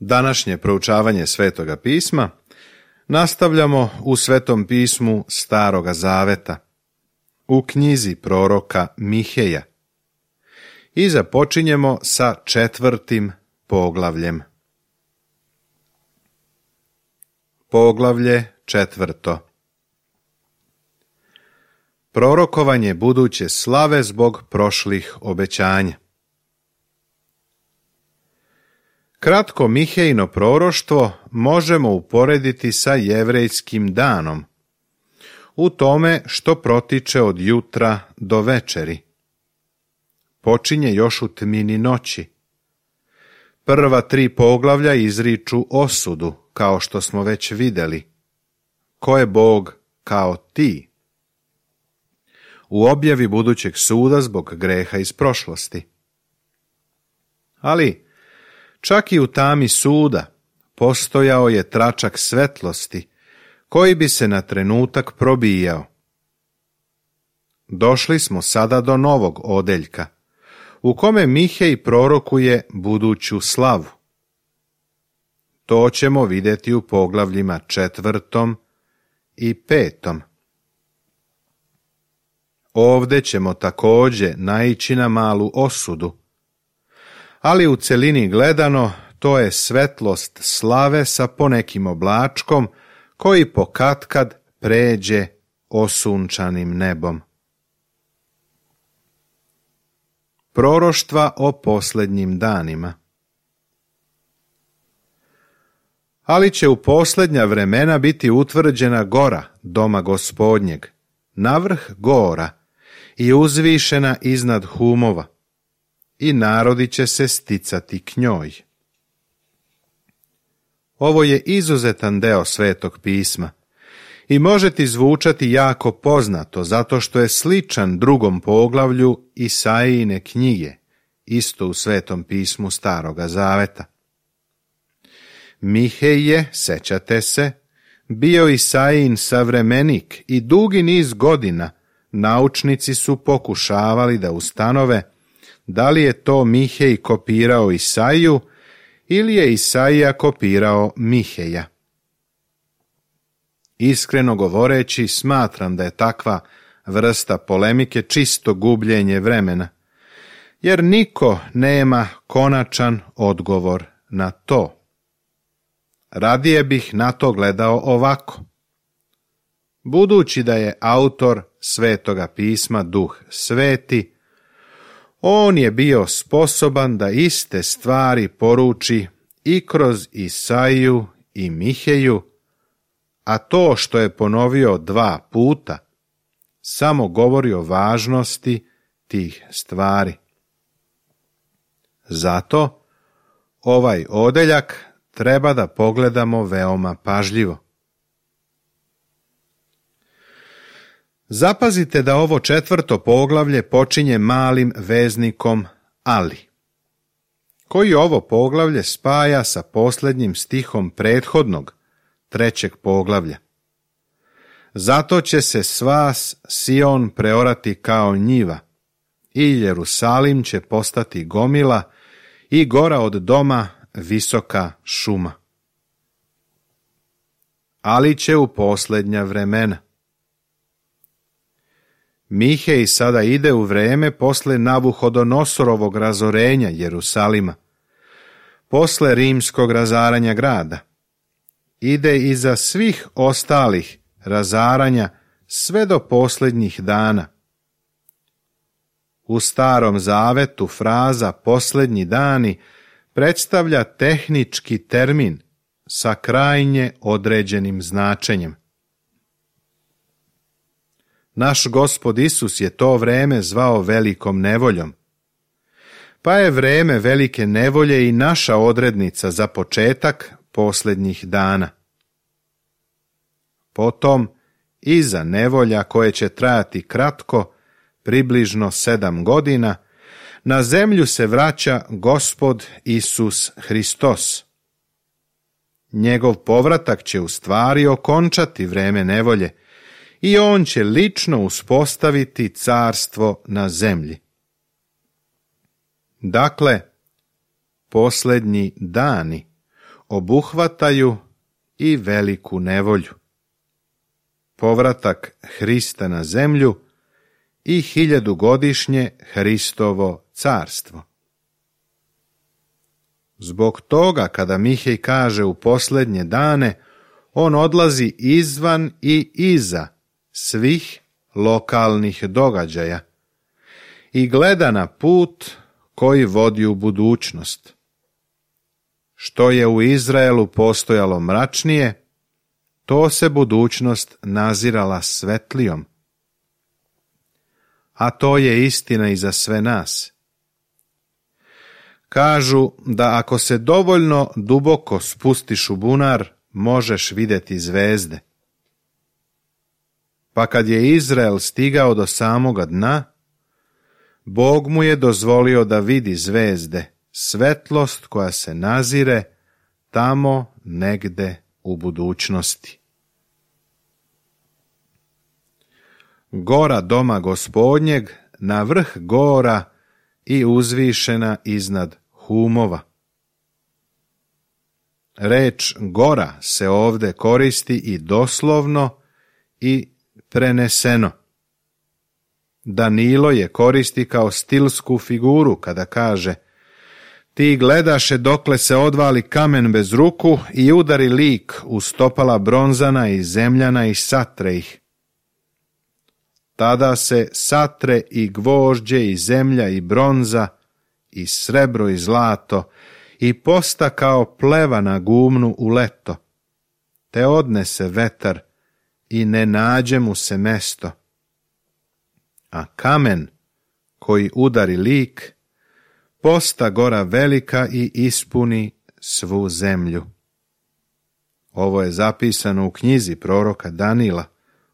Današnje proučavanje Svetoga pisma nastavljamo u Svetom pismu Staroga Zaveta, u knjizi proroka Miheja i započinjemo sa 4. poglavljem. Poglavlje 4. Prorokovanje buduće slave zbog prošlih obećanja. Kratko Mihejino proroštvo možemo uporediti sa jevrejskim danom, u tome što protiče od jutra do večeri. Počinje još u tmini noći. Prva 3 poglavlja izriču osudu, kao što smo već vidjeli. Ko je Bog kao ti? U objavi budućeg suda zbog greha iz prošlosti. Ali čak i u tami suda postojao je tračak svetlosti koji bi se na trenutak probijao. Došli smo sada do novog odeljka, u kome Mihej prorokuje buduću slavu. To ćemo vidjeti u poglavljima 4. i 5. Ovdje ćemo također naići na malu osudu, ali u celini gledano to je svetlost slave sa ponekim oblačkom koji pokatkad pređe osunčanim nebom. Proroštva o posljednjim danima. Ali će u posljednja vremena biti utvrđena gora doma Gospodnjeg, navrh gora i uzvišena iznad humova, i narodi će se sticati k njoj. Ovo je izuzetan deo Svetog pisma i može ti zvučati jako poznato zato što je sličan 2. poglavlju Isaijine knjige, isto u Svetom pismu Staroga Zaveta. Mihej je, sećate se, bio Isaijin savremenik i dugi niz godina naučnici su pokušavali da ustanove da li je to Mihej kopirao Isaiju ili je Isaija kopirao Miheja. Iskreno govoreći, smatram da je takva vrsta polemike čisto gubljenje vremena, jer niko nema konačan odgovor na to. Radije bih na to gledao ovako. Budući da je autor Svetoga pisma Duh Sveti, on je bio sposoban da iste stvari poruči i kroz Isaiju i Miheju, a to što je ponovio 2 puta samo govori o važnosti tih stvari. Zato ovaj odeljak treba da pogledamo veoma pažljivo. Zapazite da ovo 4. poglavlje počinje malim veznikom ali, koji ovo poglavlje spaja sa posljednjim stihom prethodnog 3. poglavlja. Zato će se svas Sion preorati kao njiva i Jerusalim će postati gomila i gora od doma visoka šuma. Ali će u posljednja vremena. Mihej sada ide u vreme posle Navuhodonosorovog razorenja Jerusalima, posle rimskog razaranja grada. Ide iza svih ostalih razaranja sve do posljednjih dana. U Starom Zavetu fraza posljednji dani predstavlja tehnički termin sa krajnje određenim značenjem. Naš Gospod Isus je to vreme zvao velikom nevoljom, pa je vreme velike nevolje i naša odrednica za početak posljednjih dana. Potom, iza nevolja koje će trajati kratko, približno 7 godina, na zemlju se vraća Gospod Isus Hristos. Njegov povratak će u stvari okončati vreme nevolje i on će lično uspostaviti carstvo na zemlji. Dakle, posljednji dani obuhvataju i veliku nevolju, povratak Hrista na zemlju i 1000-godišnje Hristovo carstvo. Zbog toga, kada Mihej kaže u posljednje dane, on odlazi izvan i iza svih lokalnih događaja i gleda na put koji vodi u budućnost. Što je u Izraelu postojalo mračnije, to se budućnost nazirala svetlijom. A to je istina i za sve nas. Kažu da ako se dovoljno duboko spustiš u bunar, možeš vidjeti zvezde. Pa kad je Izrael stigao do samoga dna, Bog mu je dozvolio da vidi zvezde, svetlost koja se nazire tamo negde u budućnosti. Gora doma Gospodnjeg na vrh gora i uzvišena iznad humova. Reč gora se ovdje koristi i doslovno i preneseno. Danilo je koristi kao stilsku figuru kada kaže: ti gledaše dokle se odvali kamen bez ruku i udari lik u stopala bronzana i zemljana i satre ih. Tada se satre i gvožđe i zemlja i bronza i srebro i zlato i posta kao pleva na gumnu u leto, te odnese vetar i ne nađe mu se mesto. A kamen koji udari lik posta gora velika i ispuni svu zemlju. Ovo je zapisano u knjizi proroka Danila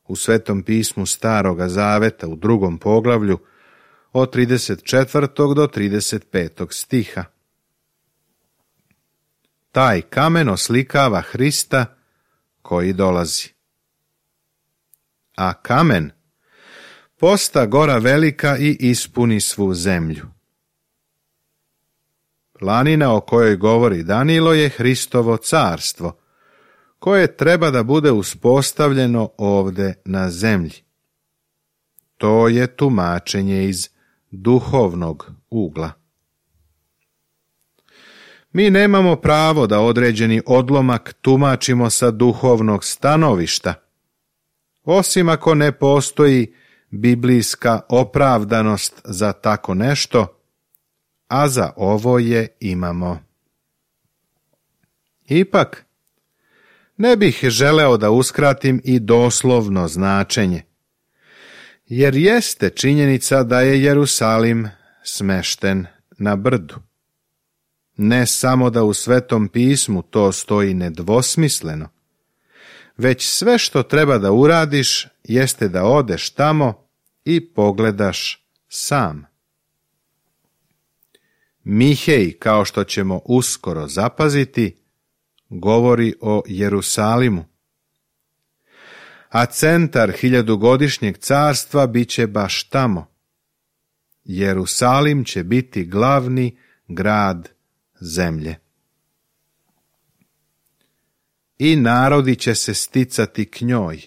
u Svetom pismu Staroga Zaveta u 2. poglavlju od 34. do 35. stiha. Taj kamen oslikava Hrista koji dolazi. A kamen posta gora velika i ispuni svu zemlju. Planina o kojoj govori Danilo je Hristovo carstvo, koje treba da bude uspostavljeno ovde na zemlji. To je tumačenje iz duhovnog ugla. Mi nemamo pravo da određeni odlomak tumačimo sa duhovnog stanovišta, osim ako ne postoji biblijska opravdanost za tako nešto, a za ovo je imamo. Ipak, ne bih želeo da uskratim i doslovno značenje, jer jeste činjenica da je Jerusalim smešten na brdu. Ne samo da u Svetom pismu to stoji nedvosmisleno, već sve što treba da uradiš jeste da odeš tamo i pogledaš sam. Mihej, kao što ćemo uskoro zapaziti, govori o Jerusalimu. A centar 1000-godišnjeg carstva bit će baš tamo. Jerusalim će biti glavni grad zemlje. I narodi će se sticati k njoj.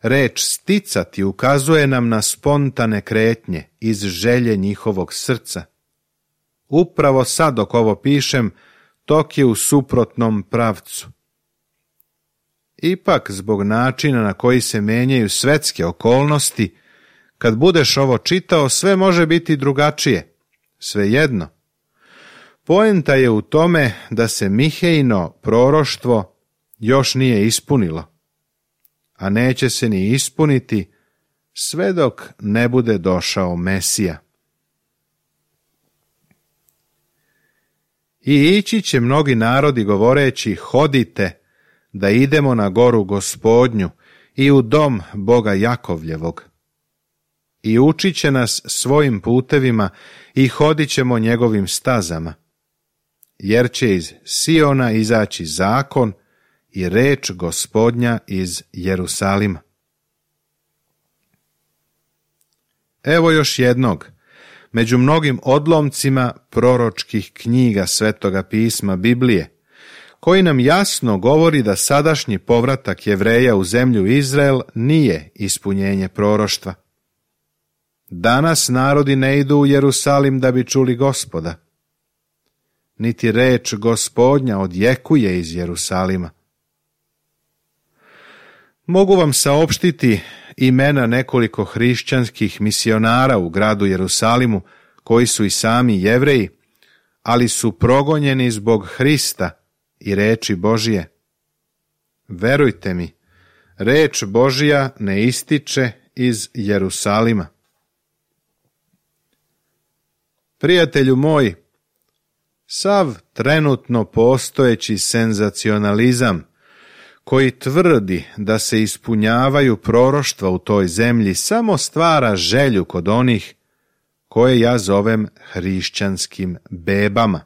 Reč sticati ukazuje nam na spontane kretnje iz želje njihovog srca. Upravo sad dok ovo pišem, tok je u suprotnom pravcu. Ipak, zbog načina na koji se menjaju svetske okolnosti, kad budeš ovo čitao, sve može biti drugačije. Svejedno. Poenta je u tome da se Mihejino proroštvo još nije ispunilo, a neće se ni ispuniti sve dok ne bude došao Mesija. I ići će mnogi narodi govoreći: hodite da idemo na goru Gospodnju i u dom Boga Jakovljevog. I učit će nas svojim putevima i hodit ćemo njegovim stazama, jer će iz Siona izaći zakon i reč Gospodnja iz Jerusalima. Evo još jednog, među mnogim odlomcima proročkih knjiga Svetoga pisma Biblije, koji nam jasno govori da sadašnji povratak Jevreja u zemlju Izrael nije ispunjenje proroštva. Danas narodi ne idu u Jerusalim da bi čuli Gospoda, niti reč Gospodnja odjekuje iz Jerusalima. Mogu vam saopštiti imena nekoliko hrišćanskih misionara u gradu Jerusalimu, koji su i sami Jevreji, ali su progonjeni zbog Hrista i reči Božije. Verujte mi, reč Božija ne ističe iz Jerusalima. Prijatelju moj, sav trenutno postojeći senzacionalizam koji tvrdi da se ispunjavaju proroštva u toj zemlji samo stvara želju kod onih koje ja zovem hrišćanskim bebama.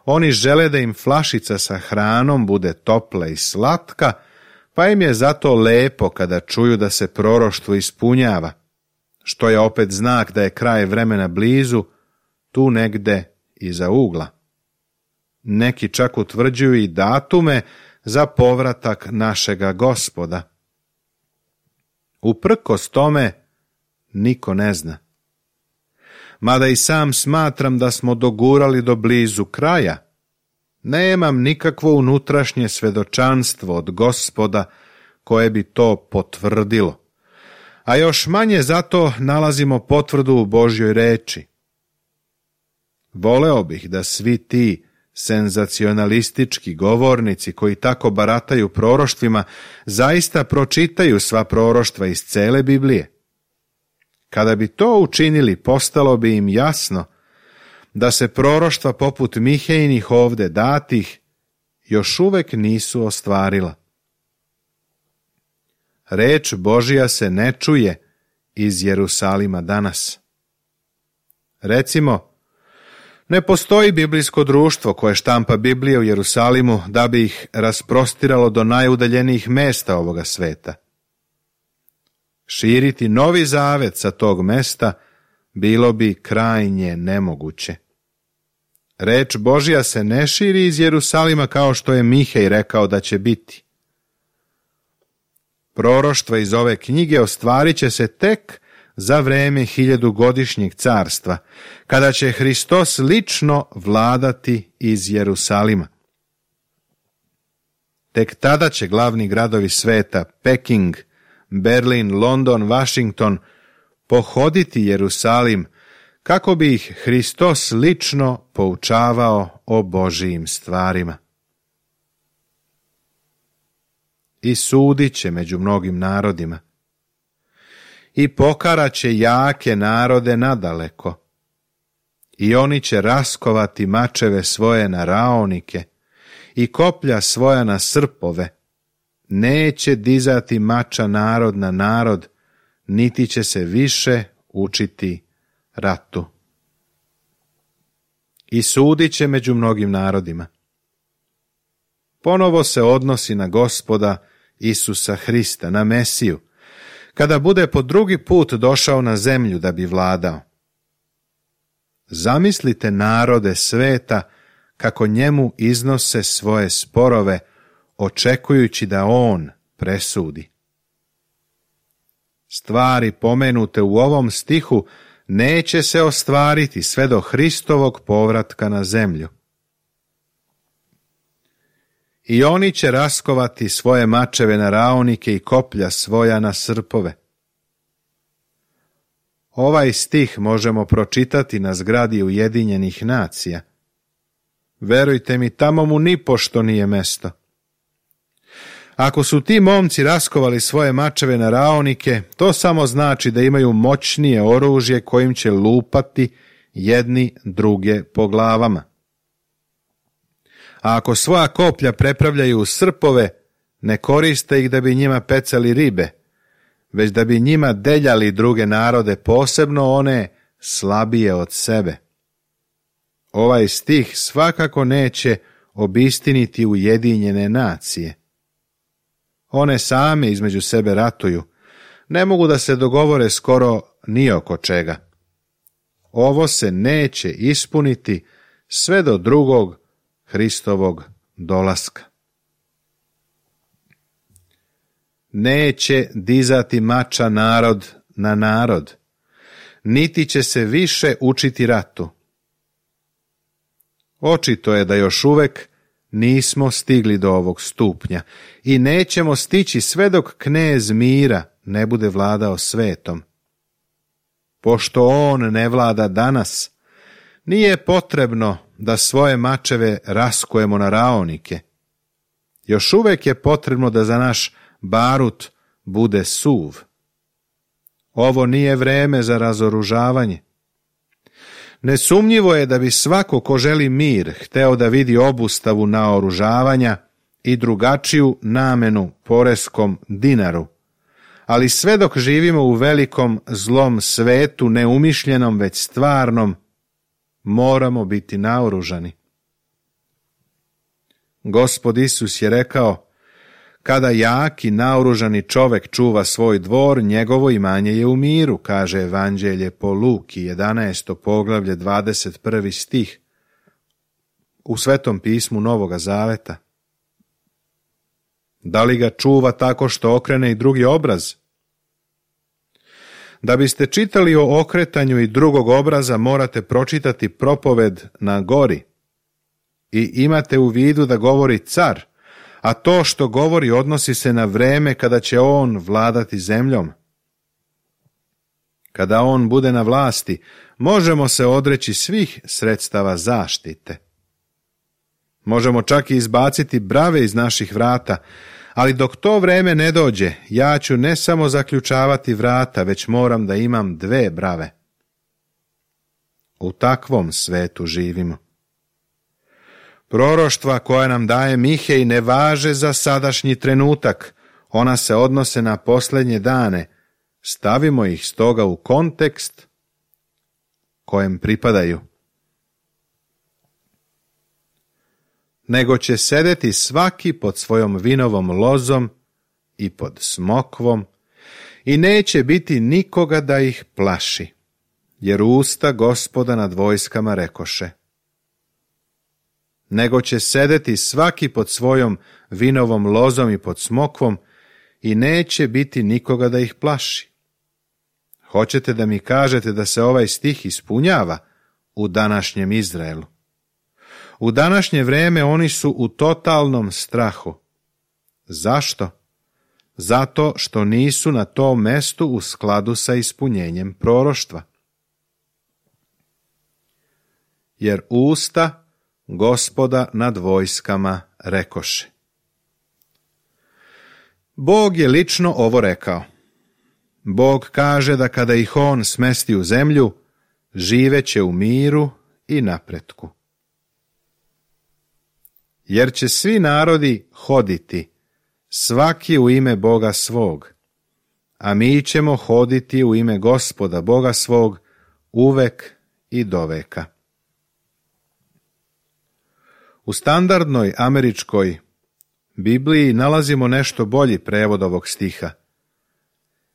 Oni žele da im flašica sa hranom bude topla i slatka, pa im je zato lepo kada čuju da se proroštvo ispunjava, što je opet znak da je kraj vremena blizu, tu negde iza ugla. Neki čak utvrđuju i datume za povratak našega Gospoda. Uprkos tome, niko ne zna. Mada i sam smatram da smo dogurali do blizu kraja, nemam nikakvo unutrašnje svedočanstvo od Gospoda koje bi to potvrdilo, a još manje zato nalazimo potvrdu u Božjoj reči. Voleo bih da svi ti senzacionalistički govornici koji tako barataju proroštvima zaista pročitaju sva proroštva iz cele Biblije. Kada bi to učinili, postalo bi im jasno da se proroštva poput Mihejnih ovde datih još uvek nisu ostvarila. Reč Božja se ne čuje iz Jerusalima danas. Recimo, ne postoji biblijsko društvo koje štampa Biblije u Jerusalimu da bi ih rasprostiralo do najudaljenijih mesta ovoga sveta. Širiti Novi Zavet sa tog mesta bilo bi krajnje nemoguće. Reč Božja se ne širi iz Jerusalima kao što je Mihej rekao da će biti. Proroštva iz ove knjige ostvarit će se tek za vreme 1000-godišnjeg carstva, kada će Hristos lično vladati iz Jerusalima. Tek tada će glavni gradovi sveta, Peking, Berlin, London, Washington, pohoditi Jerusalim, kako bi ih Hristos lično poučavao o Božijim stvarima. I sudit će među mnogim narodima. I pokaraće jake narode nadaleko. I oni će raskovati mačeve svoje na raonike i koplja svoja na srpove. Neće dizati mača narod na narod, niti će se više učiti ratu. I sudit će među mnogim narodima. Ponovo se odnosi na Gospoda Isusa Hrista, na Mesiju, kada bude po drugi put došao na zemlju da bi vladao. Zamislite narode sveta kako njemu iznose svoje sporove, očekujući da on presudi. Stvari pomenute u ovom stihu neće se ostvariti sve do Hristovog povratka na zemlju. I oni će raskovati svoje mačeve na raonike i koplja svoja na srpove. Ovaj stih možemo pročitati na zgradi Ujedinjenih nacija. Verujte mi, tamo mu nipošto nije mesto. Ako su ti momci raskovali svoje mačeve na raonike, to samo znači da imaju moćnije oružje kojim će lupati jedni druge po glavama. A ako svoja koplja prepravljaju u srpove, ne koriste ih da bi njima pecali ribe, već da bi njima deljali druge narode, posebno one slabije od sebe. Ovaj stih svakako neće obistiniti Ujedinjene nacije. One same između sebe ratuju, ne mogu da se dogovore skoro ni oko čega. Ovo se neće ispuniti sve do drugog Hristovog dolaska. Neće dizati mača narod na narod, niti će se više učiti ratu. Očito je da još uvek nismo stigli do ovog stupnja i nećemo stići sve dok knez mira ne bude vladao svetom. Pošto on ne vlada danas, nije potrebno da svoje mačeve raskujemo na raonike. Još uvek je potrebno da za naš barut bude suv. Ovo nije vreme za razoružavanje. Nesumnjivo je da bi svako ko želi mir hteo da vidi obustavu naoružavanja i drugačiju namenu poreskom dinaru, ali sve dok živimo u velikom zlom svetu, neumišljenom već stvarnom, moramo biti naoružani. Gospod Isus je rekao: kada jak i naoružani čovek čuva svoj dvor, njegovo imanje je u miru, kaže Evanđelje po Luki, 11. poglavlje, 21. stih, u Svetom pismu Novoga Zaveta. Da li ga čuva tako što okrene i drugi obraz? Da biste čitali o okretanju i drugog obraza, morate pročitati propoved na gori. I imate u vidu da govori car, a to što govori odnosi se na vreme kada će on vladati zemljom. Kada on bude na vlasti, možemo se odreći svih sredstava zaštite. Možemo čak i izbaciti brave iz naših vrata, ali dok to vreme ne dođe, ja ću ne samo zaključavati vrata, već moram da imam 2 brave. U takvom svetu živimo. Proroštva koja nam daje Mihej ne važe za sadašnji trenutak, ona se odnose na posljednje dane. Stavimo ih stoga u kontekst kojem pripadaju. Nego će sedeti svaki pod svojom vinovom lozom i pod smokvom i neće biti nikoga da ih plaši, jer usta Gospoda nad vojskama rekoše. Nego će sedeti svaki pod svojom vinovom lozom i pod smokvom i neće biti nikoga da ih plaši. Hoćete da mi kažete da se ovaj stih ispunjava u današnjem Izraelu? U današnje vreme oni su u totalnom strahu. Zašto? Zato što nisu na tom mestu u skladu sa ispunjenjem proroštva. Jer usta Gospoda nad vojskama rekoše. Bog je lično ovo rekao. Bog kaže da kada ih on smesti u zemlju, živeće u miru i napretku. Jer će svi narodi hoditi, svaki u ime Boga svog, a mi ćemo hoditi u ime Gospoda Boga svog uvek i doveka. U standardnoj američkoj Bibliji nalazimo nešto bolji prevod ovog stiha.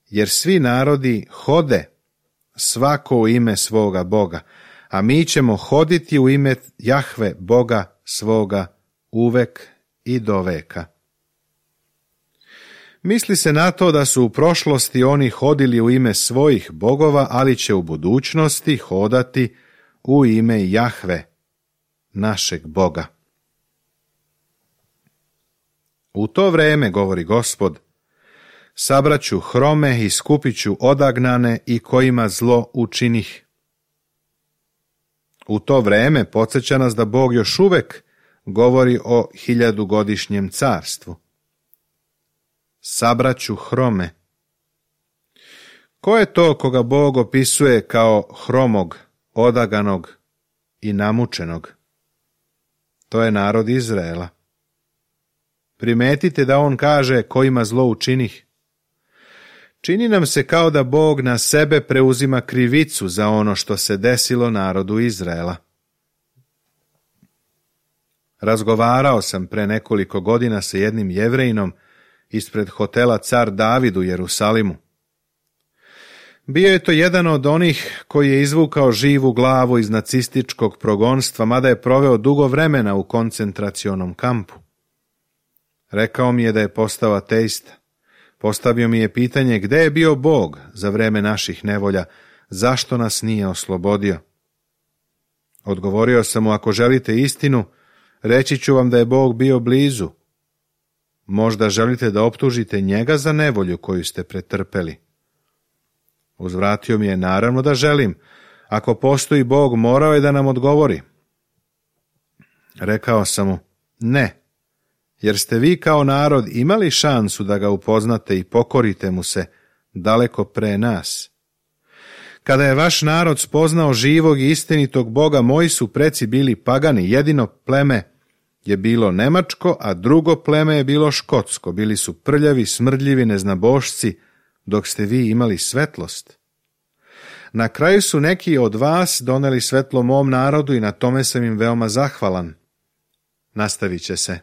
Jer svi narodi hode, svako u ime svoga Boga, a mi ćemo hoditi u ime Jahve Boga svoga uvek i doveka. Misli se na to da su u prošlosti oni hodili u ime svojih bogova, ali će u budućnosti hodati u ime Jahve, našeg Boga. U to vreme, govori Gospod, sabraću hrome i skupiću odagnane i kojima zlo učinih. U to vreme podsjeća nas da Bog još uvek govori o 1000-godišnjem carstvu. Sabraću hrome. Ko je to koga Bog opisuje kao hromog, odaganog i namučenog? To je narod Izraela. Primetite da on kaže kojima zlo učinih. Čini nam se kao da Bog na sebe preuzima krivicu za ono što se desilo narodu Izraela. Razgovarao sam pre nekoliko godina sa jednim Jevrejinom ispred hotela Car David u Jerusalimu. Bio je to jedan od onih koji je izvukao živu glavu iz nacističkog progonstva, mada je proveo dugo vremena u koncentracionom kampu. Rekao mi je da je postao ateista. Postavio mi je pitanje gde je bio Bog za vreme naših nevolja, zašto nas nije oslobodio. Odgovorio sam mu, ako želite istinu, reći ću vam da je Bog bio blizu. Možda želite da optužite njega za nevolju koju ste pretrpeli. Uzvratio mi je, naravno da želim. Ako postoji Bog, morao je da nam odgovori. Rekao sam mu, ne, jer ste vi kao narod imali šansu da ga upoznate i pokorite mu se daleko pre nas. Kada je vaš narod spoznao živog i istinitog Boga, moji su preci bili pagani, jedino pleme je bilo nemačko, a drugo pleme je bilo škotsko. Bili su prljavi, smrdljivi, neznabošci, dok ste vi imali svetlost. Na kraju su neki od vas doneli svetlo mom narodu i na tome sam im veoma zahvalan. Nastavit će se.